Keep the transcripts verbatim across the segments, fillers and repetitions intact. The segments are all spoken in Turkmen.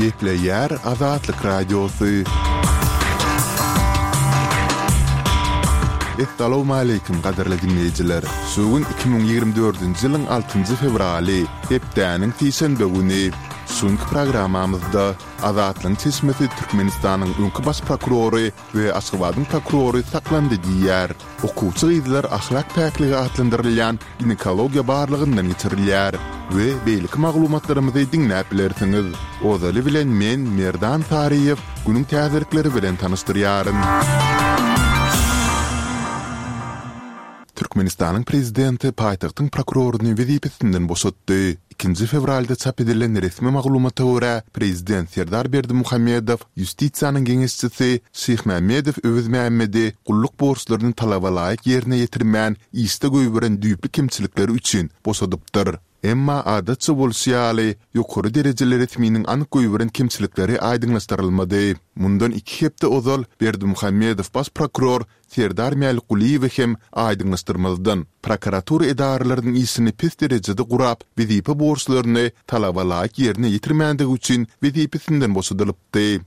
Gepleýär Azatlyk Radiosy. Essalawmaleýkim gadyrly diňleýjiler! Şu gün iki müň ýigrimi dördünji ýylyň altynjy fewraly, hepdäniň sişenbe güni. Şu günki programmamyzda Azatlygyň çeşmesi Türkmenistanyň öňki baş prokurory we Aşgabadyň prokurory saklandy diýýär. Okuwçy gyzlar ahlak päkligi atlandyrylýan ginekologiýa barlagyndan geçirilýär we beýleki maglumatlarymyzy diňläp bilersiňiz. Ozaly bilen men, Merdan Saryýew, günüň täzelikleri bilen tanyşdyrýaryn. Türkmenistanyň prezidenti paýtagtyň prokuroryny wezipesinden boşatdy. Ikinji fewralda çap edilen resmi maglumata görä, prezident Serdar Berdimuhamedow ýustisiýanyň geňeşçisi Şyhmämmedow Öwezmämmedi gulluk borçlaryny talaba laýyk ýerine ýetirmän, işde goýberen düýpli kemçilikleri üçin boşadypdyr. Emma, adatça bolşy ýaly, ýokary derejeli resminiň anyk goýberen kemçilikleri aýdyňlaşdyrylmady. Mundan iki hepde ozal Berdimuhamedow baş prokuror Serdar Mälikgulyýewi hem aýdyňlaşdyrmazdan, prokuratura edaralarynyň işini pes derejede gurap, wezipe borçlaryny talaba laýyk ýerine ýetirmändigi üçin wezipesinden boşadylypdy.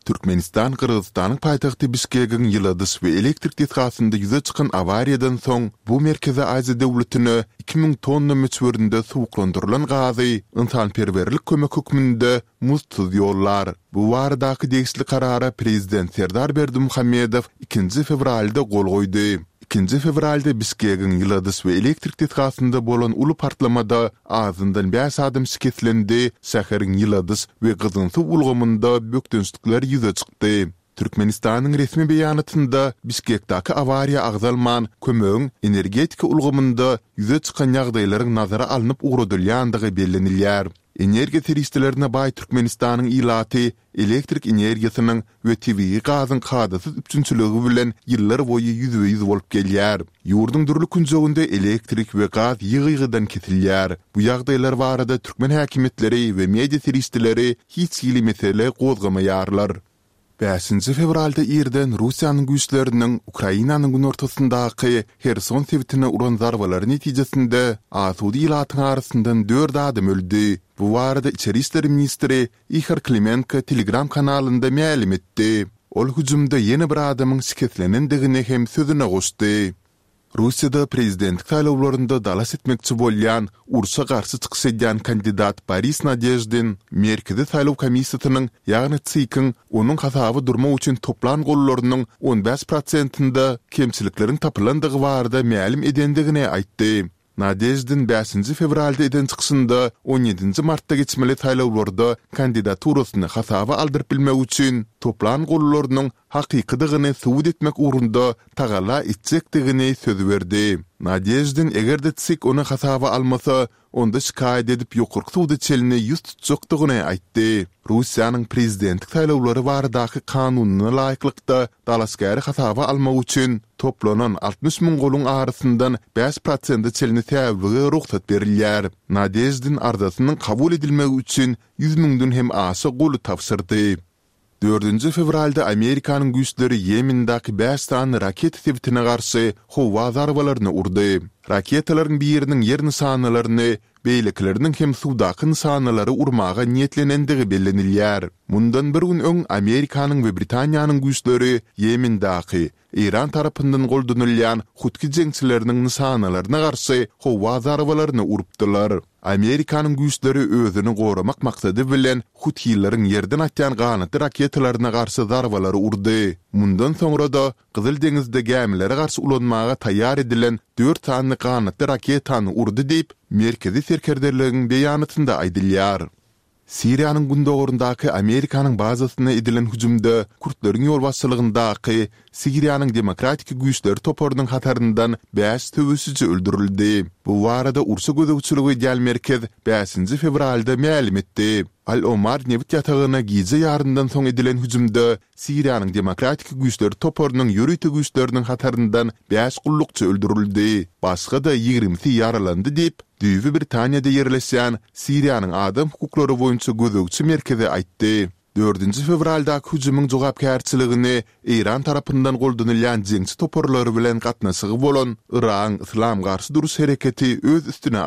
Türkmenistan Gyrgyzystanyň paýtagty Bişkegiň ýyladyş we elektrik desgasynda ýüze çykan awariýadan soň bu Merkezi Aziýa döwletine iki müň tonna möçberinde suwuklandyrylan gazy ynsanperwerlik kömek hökmünde muzdsuz ýollar. Bu baradaky degişli karara prezident Serdar Berdimuhamedow ikinji fewralda gol goýdy. Ikinji fewralda Bişkegiň ýyladyş we elektrik desgasynda bolan uly partlamada azyndan bäş adam şikeslendi, şäheriň ýyladyş we gyzgyn suw ulgamynda bökdençlikler ýüze çykdy. Türkmenistanyň resmi beýanatynda Bişkekdäki awariýa agzalman, kömegiň energetika ulgamynda ýüze çykan ýagdaýlaryň nazara alnyp ugradylýandygy bellenilýär. Energiýa serişdelerine baý Türkmenistanyň ilaty elektrik energiýasynyň we tebigy gazyň kadasyz üpjünçiligi bilen ýyllar boýy ýüzbe-ýüz bolup gelýär. Ýurduň dürli künjeginde elektrik we gaz ýygy-ýygydan kesilýär. Bu ýagdaýlar barada türkmen häkimiýetleri we media serişdeleri hiç hili mesele gozgamaýarlar. Bäşinji fewralda irden Russiýanyň güýçleriniň Ukrainanyň günortasyndaky Herson sebitine uran zarbalary netijesinde asuda ilatyň arasyndan dört adam öldi. Bu barada içeri işler ministri Ihor Klimenko Telegram kanalynda mälim etdi. Ol hüjümde ýene bir adamyň şikeslenendigini hem sözüne goşdy. Russiýada prezidentlik saýlawlarynda dalaş etmekçi bolýan, urşa garşy çykyş edýän kandidat Boris Nadeždin Merkezi saýlaw komissiýasynyň, ýagny TSIK-iň onuň hasaba durmak üçin toplan gollarynyň on bäş prosentinde kemçilikleriň tapylandygy barada mälim edendigini aýtdy. Nadeždin bäşinji fewralda eden çykyşynda on ýedinji martda geçmeli saýlawlarda kandidaturasyny hasaba aldyryp bilmek üçin toplan gollarynyň hakykydygyny subut etmek ugrunda tagalla etjekdigini söz berdi. Nadeždin eger-de TSIK ony hasaba almasa, onda şikaýat edip ýokarky suda çenli ýüz tutjakdygyny aýtdy. Russiýanyň prezidentlik saýlawlary baradaky kanunyna laýyklykda dalaşgäri hasaba almak üçin toplanan altmyş müň goluň arasyndan bäş prosente çenli säwlige rugsat berilýär. Nadeždin arzasynyň kabul edilmegi üçin ýüz müňden hem aşa goly tabşyrdy. Dördünji fewralda Amerikanyň güýçleri Ýemendäki bäş sany raketa sebitine garşy howa zarbalaryny urdy. Raketalaryň biriniň ýer nyşanalaryny, beýlekileriniň hem suwdaky nyşanalary urmaga niýetlenendigi bellenilýär. Mundan bir gün öň Amerikanyň we Britaniýanyň güýçleri Ýemendäki, Eýran tarapyndan goldanylýan hutki jeňçileriniň nyşanalaryna garşy howa zarbalaryny urupdylar. Amerikanyň güýçleri özüni goramak maksady bilen huthileriň ýerden atýan ganatly raketalaryna garşy zarbalary urdy. Mundan soňra-da Gyzyl deňizde gämilere garşy ulanmaga taýýar edilen dört sany ganatly raketany urdy diýip, Merkezi serkerdeligiň beýanatynda aýdylýar. Siriýanyň gündogaryndaky Amerikanyň bazasyna edilen hüjümde kürtleriň ýolbaşçylygyndaky Siriýanyň Demokratik güýçleri toparynyň hataryndan bäş söweşiji öldürildi. Bu barada urşa gözegçilik edýän merkez bäşinji fewralda mälim etdi. Al-Omar nebit ýatagyna gije ýaryndan soň edilen hüjümde Siriýanyň Demokratik güýçleri toparynyň ýörite güýçleriniň hataryndan bäş gullukçy öldürildi, başga-da ýigrimisi ýaralandy diýip, düýbi Britaniýada ýerleşýän Siriýanyň adam hukuklary boýunça gözegçi merkezi aýtdy. Dördünji fewraldaky hüjümiň jogapkärçiligini Eýran tarapyndan goldanylýan jeňçi toparlary bilen gatnaşygy bolan Yragyň Yslam garşy duruş hereketi öz üstüne